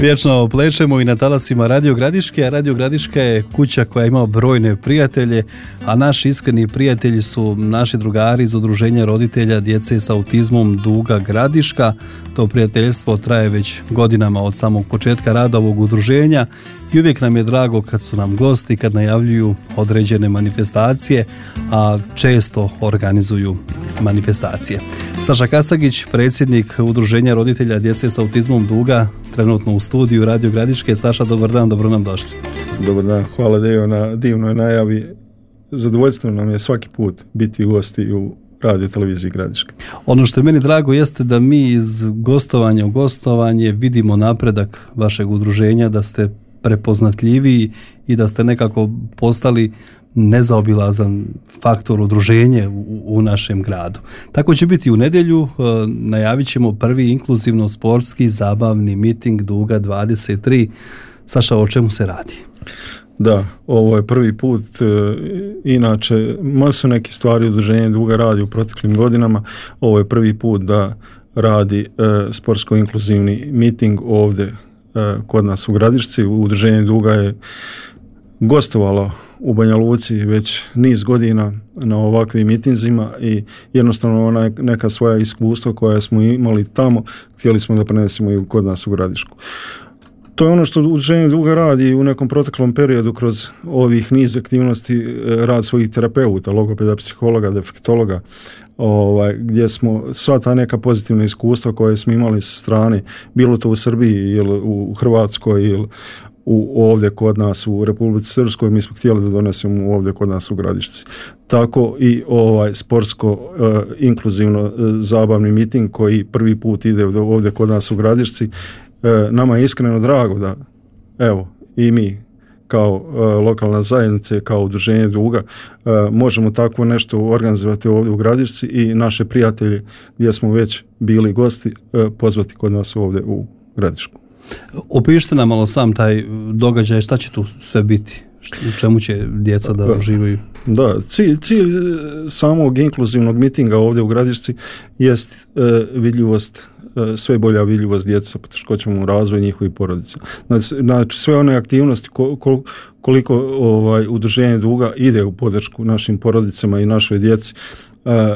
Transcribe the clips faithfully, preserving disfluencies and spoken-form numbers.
Vječno plečemo i na talasima Radio Gradiške, a Radio Gradiška je kuća koja ima brojne prijatelje, a naši iskreni prijatelji su naši drugari iz Udruženja roditelja djece s autizmom Duga Gradiška. To prijateljstvo traje već godinama od samog početka rada ovog udruženja i uvijek nam je drago kad su nam gosti, kad najavljuju određene manifestacije, a često organizuju manifestacije. Saša Kasagić, predsjednik Udruženja roditelja djece s autizmom Duga, trenutno u studiju Radio Gradiške. Saša, dobar dan, dobro nam došli. Dobar dan, hvala Dejo na divnoj najavi. Zadovoljstvo nam je svaki put biti gosti u Radio televiziji Gradiške. Ono što je meni drago jeste da mi iz gostovanja u gostovanje vidimo napredak vašeg udruženja, da ste prepoznatljiviji i da ste nekako postali nezaobilazan faktor udruženje u, u našem gradu. Tako će biti u nedjelju, e, najavit ćemo prvi inkluzivno sportski zabavni miting Duga dvadeset tri. Saša, o čemu se radi? Da, ovo je prvi put, e, inače masu nekih stvari udruženje Duga radi u proteklim godinama, ovo je prvi put da radi e, sportsko-inkluzivni miting ovdje e, kod nas u Gradišci. Udruženje Duga je gostovalo u Banja Luci već niz godina na ovakvim mitinzima i jednostavno ona neka svoja iskustva koja smo imali tamo htjeli smo da prenesemo i kod nas u Gradišku. To je ono što Udruženje Duga radi u nekom proteklom periodu kroz ovih niz aktivnosti, rad svojih terapeuta, logopeda, psihologa, defektologa, ovaj, gdje smo sva ta neka pozitivna iskustva koje smo imali sa strane, bilo to u Srbiji ili u Hrvatskoj ili u, ovdje kod nas u Republici Srpskoj, mi smo htjeli da donesemo ovdje kod nas u Gradišci. Tako i ovaj sportsko uh, inkluzivno uh, zabavni miting koji prvi put ide ovdje kod nas u Gradišci. Uh, nama je iskreno drago da evo i mi kao uh, lokalna zajednica, kao udruženje Duga uh, možemo takvo nešto organizovati ovdje u Gradišci i naše prijatelje gdje smo već bili gosti uh, pozvati kod nas ovdje u Gradišku. Opišite nam malo sam taj događaj, šta će tu sve biti, u čemu će djeca da uživaju? Da, cilj, cilj samog inkluzivnog mitinga ovdje u Gradišci jest e, vidljivost, e, sve bolja vidljivost djeca sa poteškoćama u razvoju njihovih porodica. Znači, znači sve one aktivnosti kol, koliko ovaj, udruženje Duga ide u podršku našim porodicama i našoj djeci, e,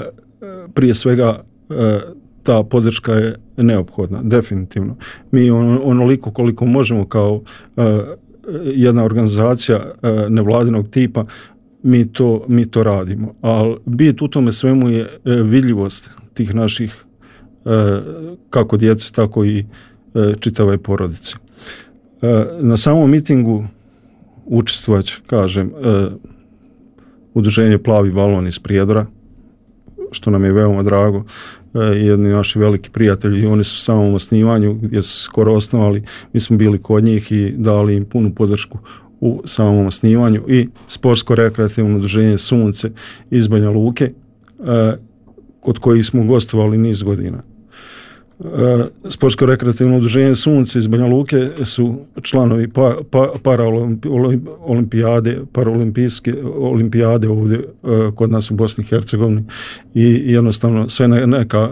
prije svega e, ta podrška je neophodna, definitivno. Mi on, onoliko koliko možemo kao uh, jedna organizacija uh, nevladinog tipa, mi to, mi to radimo. Ali bit u tome svemu je uh, vidljivost tih naših uh, kako djece, tako i uh, čitave porodice. Uh, na samom mitingu učestvovać, kažem, uh, udruženje Plavi balon iz Prijedora, što nam je veoma drago, jedni naši veliki prijatelji, oni su u samom osnivanju gdje su skoro osnovali, mi smo bili kod njih i dali im punu podršku u samom osnivanju i sportsko-rekreativno udruženje Sunce iz Banja Luke, kod kojih smo gostovali niz godina. Sportsko-rekreativno udruženje Sunce iz Banja Luke su članovi pa, pa, paraolimpijade, paraolimpijske olimpijade ovdje uh, kod nas u Bosni i Hercegovini i jednostavno sve neka,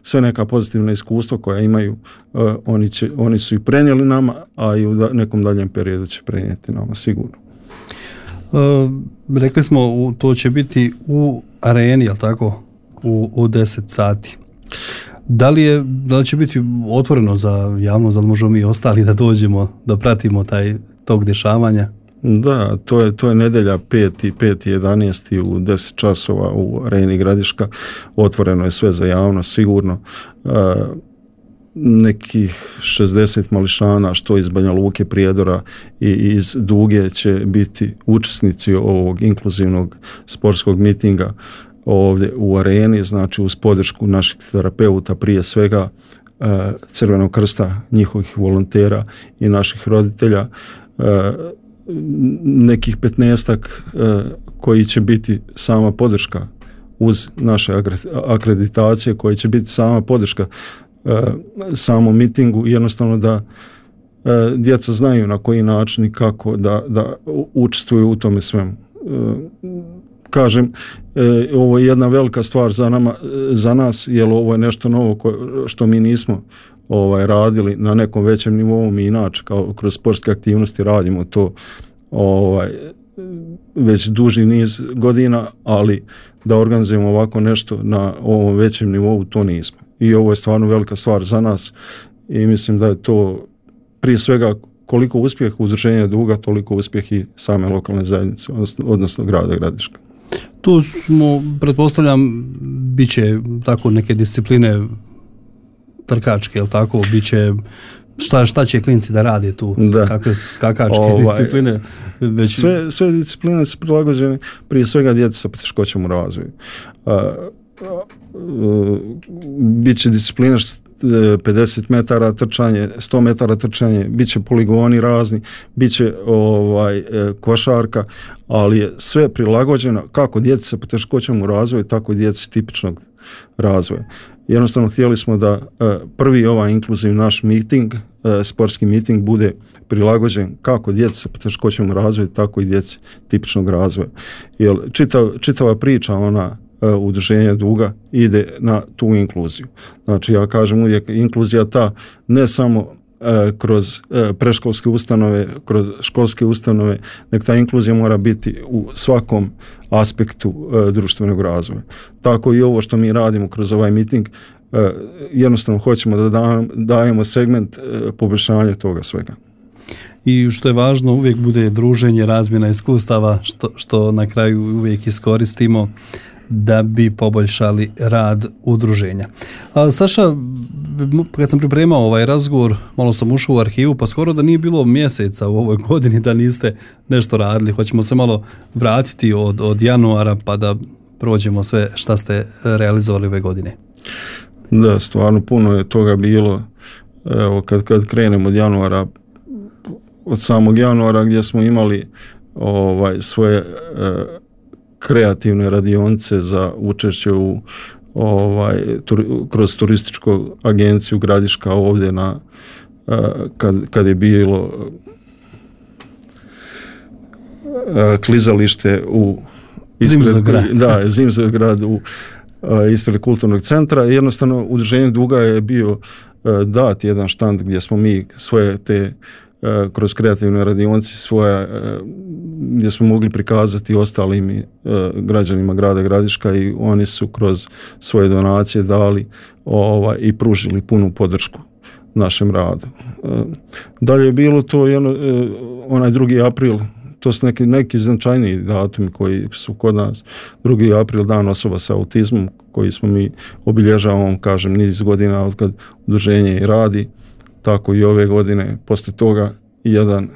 sve neka pozitivna iskustva koja imaju, uh, oni, će, oni su i prenijeli nama, a i u da, nekom daljem periodu će prenijeti nama sigurno. Uh, rekli smo, to će biti u areni, jel tako, u, u deset sati. Da li, je, da li će biti otvoreno za javnost, da li možemo mi ostali da dođemo, da pratimo taj tog dešavanja? Da, to je, to je nedjelja peti i jedanaesti u deset časova u areni Gradiška. Otvoreno je sve za javnost, sigurno. E, nekih šezdeset mališana, što iz Banja Luke, Prijedora i iz Duge će biti učesnici ovog inkluzivnog sportskog mitinga ovdje u areni, znači uz podršku naših terapeuta, prije svega Crvenog krsta, njihovih volontera i naših roditelja, nekih petnaestak koji će biti sama podrška uz naše akreditacije, koji će biti sama podrška samom mitingu, jednostavno da djeca znaju na koji način i kako da, da učestvuju u tome svemu. Kažem, e, ovo je jedna velika stvar za nama, za nas, jer ovo je nešto novo ko, što mi nismo ovaj, radili na nekom većem nivou. Mi inače kao kroz sportske aktivnosti radimo to ovaj, već duži niz godina, ali da organizujemo ovako nešto na ovom većem nivou, to nismo. I ovo je stvarno velika stvar za nas i mislim da je to prije svega koliko uspjeh udruženja Duga, toliko uspjeh i same lokalne zajednice, odnosno, odnosno grada Gradiška. Tu smo, pretpostavljam, bit će tako neke discipline trkačke, jel tako? Biće šta, šta će klinci da rade tu? Da. Kakve skakačke ovaj, discipline? Već... Sve, sve discipline su prilagođene prije svega djeca sa poteškoćama u razvoju. Uh, uh, Biće disciplina pedeset metara trčanje, sto metara trčanje, bit će poligoni razni, bit će ovaj, košarka, ali je sve prilagođeno kako djeci sa poteškoćama u razvoju, tako i djeci tipičnog razvoja. Jednostavno htjeli smo da prvi ovaj inkluzivni naš miting, sportski miting, bude prilagođen kako djeci sa poteškoćama u razvoju, tako i djeci tipičnog razvoja. Jer čitav, čitava priča ona udruženja Duga ide na tu inkluziju. Znači ja kažem uvijek inkluzija ta ne samo e, kroz e, predškolske ustanove, kroz školske ustanove, nek ta inkluzija mora biti u svakom aspektu e, društvenog razvoja. Tako i ovo što mi radimo kroz ovaj miting, e, jednostavno hoćemo da dajemo, dajemo segment e, poboljšanja toga svega. I što je važno, uvijek bude druženje, razmjena iskustava, što, što na kraju uvijek iskoristimo da bi poboljšali rad udruženja. A, Saša, kad sam pripremao ovaj razgovor, malo sam ušao u arhivu, pa skoro da nije bilo mjeseca u ovoj godini da niste nešto radili. Hoćemo se malo vratiti od, od januara pa da prođemo sve šta ste realizovali ove godine. Da, stvarno puno je toga bilo. Evo, kad, kad krenemo od januara, od samog januara gdje smo imali ovaj, svoje e, kreativne radionice za učešće u ovaj tur, kroz turističku agenciju Gradiška ovdje na uh, kad, kad je bilo uh, klizalište u Zimzograd. Da, Zimzograd u uh, ispred kulturnog centra. Jednostavno udruženje Duga je bio uh, dat jedan štand gdje smo mi svoje te uh, kroz kreativne radionice svoje uh, gdje smo mogli prikazati ostalim e, građanima grada Gradiška i oni su kroz svoje donacije dali ovaj, i pružili punu podršku našem radu. E, dalje je bilo to jedno, e, onaj drugi april, to su neki, neki značajniji datumi koji su kod nas. drugi april, dan osoba sa autizmom, koji smo mi obilježavamo, kažem, niz godina od kad udruženje i radi, tako i ove godine. Poslije toga jedan e,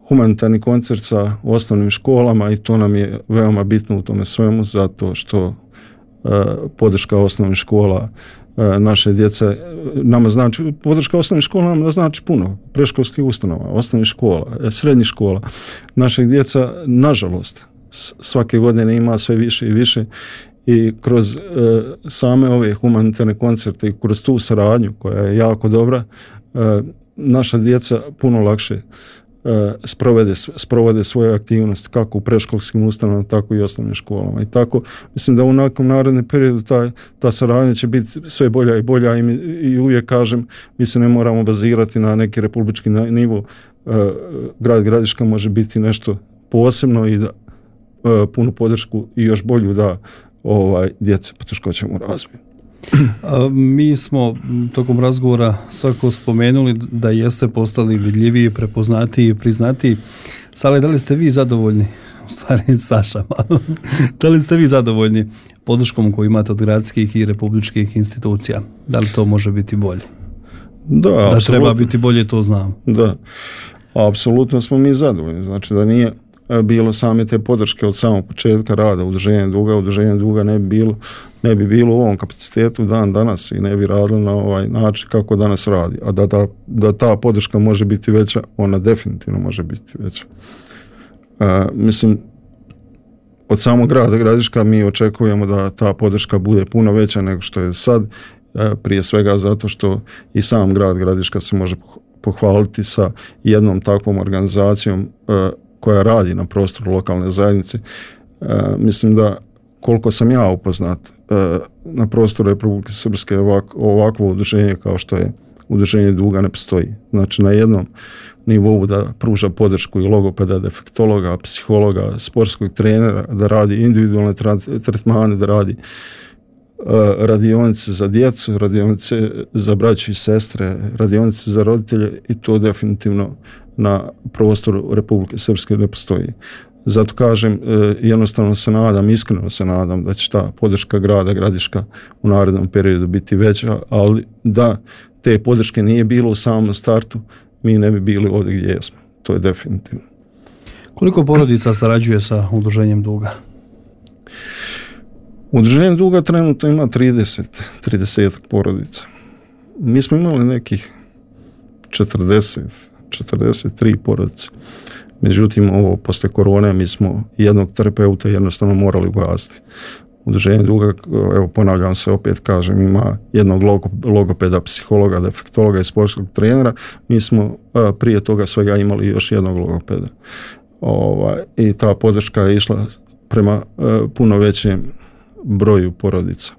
humanitarni koncert sa osnovnim školama i to nam je veoma bitno u tome svemu zato što uh, podrška osnovnih škola uh, naše djece nama znači, podrška osnovnih škola nam znači puno, predškolskih ustanova, osnovnih škola, srednjih škola. Naših djeca, nažalost, svake godine ima sve više i više i kroz uh, same ove humanitarne koncerte i kroz tu saradnju koja je jako dobra, uh, naša djeca puno lakše Sprovede, sprovode svoje aktivnosti kako u predškolskim ustanovama, tako i osnovnim školama. I tako, mislim da u nekom narednom periodu ta, ta saradnja će biti sve bolja i bolja i, mi, i uvijek kažem, mi se ne moramo bazirati na neki republički nivo. Uh, grad Gradiška može biti nešto posebno i da uh, punu podršku i još bolju da ovaj, djece poteškoćama u razvoju. A, mi smo tokom razgovora svako spomenuli da jeste postali vidljiviji, prepoznatiji, priznatiji. Sale, da li ste vi zadovoljni? U stvari, Saša, malo. Da li ste vi zadovoljni podrškom koju imate od gradskih i republičkih institucija? Da li to može biti bolje? Da, da apsolutno. Treba biti bolje, to znam. Da, apsolutno smo mi zadovoljni. Znači da nije bilo same te podrške od samog početka rada udruženja Duga, udruženja Duga ne bi bilo, ne bi bilo u ovom kapacitetu dan danas i ne bi radilo na ovaj način kako danas radi. A da ta, da ta podrška može biti veća, ona definitivno može biti veća. Uh, mislim, od samog grada Gradiška mi očekujemo da ta podrška bude puno veća nego što je sad, uh, prije svega zato što i sam grad Gradiška se može pohvaliti sa jednom takvom organizacijom uh, koja radi na prostoru lokalne zajednice. E, mislim da koliko sam ja upoznat, na prostoru Republike Srpske ovako, ovakvo udruženje kao što je udruženje duga ne postoji. Znači na jednom nivou da pruža podršku i logopeda, defektologa, psihologa, sportskog trenera, da radi individualne tretmane, da radi radionice za djecu, radionice za braću i sestre, radionice za roditelje i to definitivno na prostoru Republike Srpske ne postoji. Zato kažem, jednostavno se nadam, iskreno se nadam da će ta podrška grada Gradiška u narednom periodu biti veća, ali da te podrške nije bilo u samom startu, mi ne bi bili ovdje gdje jesmo. To je definitivno. Koliko porodica sarađuje sa udruženjem duga? Udruženje duga trenutno ima trideset, trideset porodica. Mi smo imali nekih četrdeset, četrdeset tri porodice. Međutim, ovo posle korone mi smo jednog terapeuta jednostavno morali ugasiti. Udruženje duga, evo ponavljam se, opet kažem, ima jednog logopeda, psihologa, defektologa i sportskog trenera. Mi smo a, prije toga svega imali još jednog logopeda. Ovaj, i ta podrška je išla prema a, puno većem broju porodica.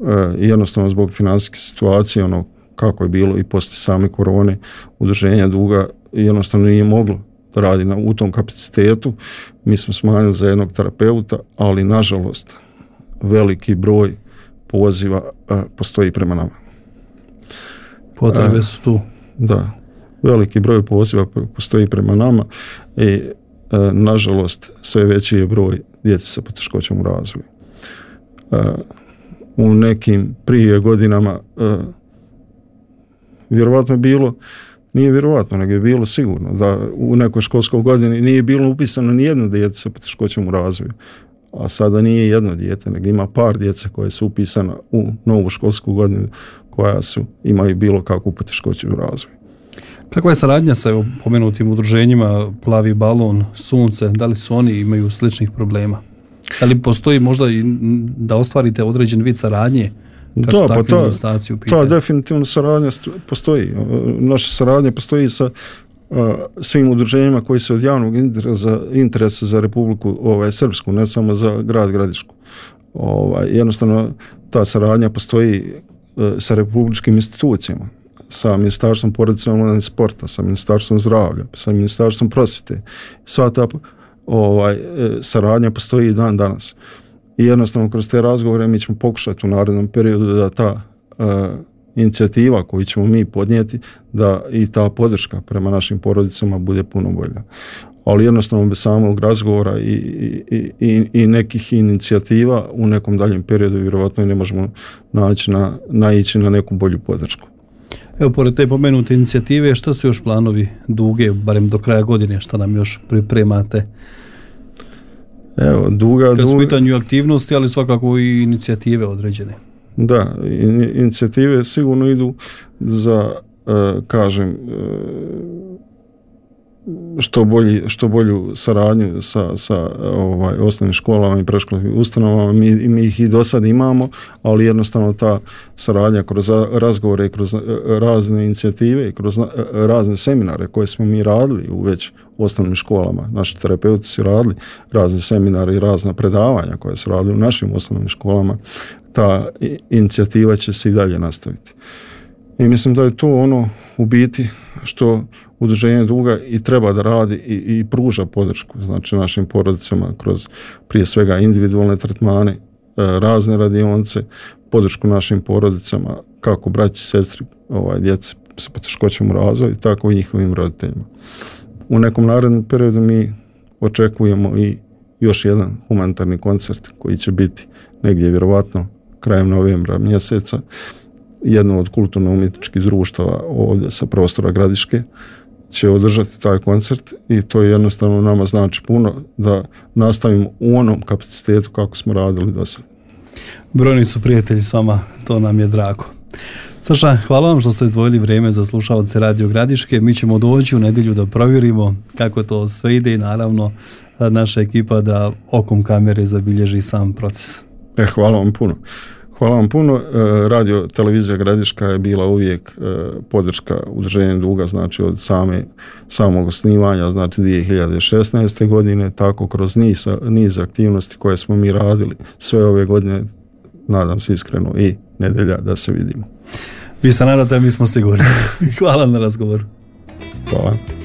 A, jednostavno zbog financijske situacije, ono kako je bilo i posle same korone, udruženja duga jednostavno nije moglo da radi na, u tom kapacitetu. Mi smo smanjili za jednog terapeuta, ali nažalost veliki broj poziva a, postoji prema nama. Potrebe su tu. Da, veliki broj poziva postoji prema nama i a, nažalost sve veći je broj djece sa poteškoćom u razvoju. A, u nekim prije godinama a, vjerovatno je bilo, nije vjerovatno, nego je bilo sigurno da u nekoj školskoj godini nije bilo upisano ni jedno dijete sa poteškoćom u razvoju, a sada nije jedno dijete, nego ima par djece koje su upisana u novu školsku godinu koja su, imaju bilo kakvu poteškoću u razvoju. Kakva je saradnja sa evo, pomenutim udruženjima Plavi balon, Sunce, da li su oni imaju sličnih problema? Da li postoji možda i da ostvarite određen vid saradnje? Da, pa ta, ta definitivno saradnja postoji. Naša saradnja postoji sa uh, svim udruženjima koji su od javnog interesa, interesa za Republiku ovaj, Srpsku, ne samo za grad Gradišku. Ovaj, jednostavno ta saradnja postoji uh, sa republičkim institucijama, sa Ministarstvom porodice, mladih i sporta, sa Ministarstvom zdravlja, sa Ministarstvom prosvjete. Sva ta ovaj, saradnja postoji i dan danas. I jednostavno kroz te razgovore mi ćemo pokušati u narednom periodu da ta uh, inicijativa koju ćemo mi podnijeti, da i ta podrška prema našim porodicama bude puno bolja. Ali jednostavno bez samog razgovora i, i, i, i nekih inicijativa u nekom daljem periodu vjerovatno ne možemo naći na, naići na neku bolju podršku. Evo, pored te pomenute inicijative, šta su još planovi duge, barem do kraja godine, šta nam još pripremate? Evo, duga, kad su duga, pitanju aktivnosti, ali svakako i inicijative određene. Da, inicijative sigurno idu za, uh, kažem, uh, što, bolji, što bolju saradnju sa, sa ovaj, osnovnim školama i predškolskim ustanovama. Mi, mi ih i do sad imamo, ali jednostavno ta saradnja kroz razgovore i kroz razne inicijative i kroz razne seminare koje smo mi radili u već osnovnim školama. Naši terapeuti su radili razne seminare i razna predavanja koje su radili u našim osnovnim školama. Ta inicijativa će se i dalje nastaviti. I mislim da je to ono u biti što udruženje duga i treba da radi i, i pruža podršku znači našim porodicama kroz prije svega individualne tretmane, razne radionice, podršku našim porodicama kako braći, sestri, ovaj, djece sa poteškoćom u razvoju, tako i njihovim roditeljima. U nekom narednom periodu mi očekujemo i još jedan humanitarni koncert koji će biti negdje vjerovatno krajem novembra mjeseca. Jedno od kulturno-umjetničkih društava ovdje sa prostora Gradiške će održati taj koncert i to je jednostavno nama znači puno da nastavimo u onom kapacitetu kako smo radili do sada. Brojni su prijatelji s vama, to nam je drago. Saša, hvala vam što ste izdvojili vrijeme za slušalce Radio Gradiške. Mi ćemo doći u nedjelju da provjerimo kako to sve ide i naravno naša ekipa da okom kamere zabilježi sam proces. E, hvala vam puno. Hvala vam puno. Radio televizija Gradiška je bila uvijek podrška udruženju Duga, znači od same, samog osnivanja, znači dvije hiljade šesnaeste. godine, tako kroz niz, niz aktivnosti koje smo mi radili sve ove godine, nadam se iskreno i nedjelja da se vidimo. Vi se nadate, mi smo sigurni. Hvala na razgovoru. Hvala.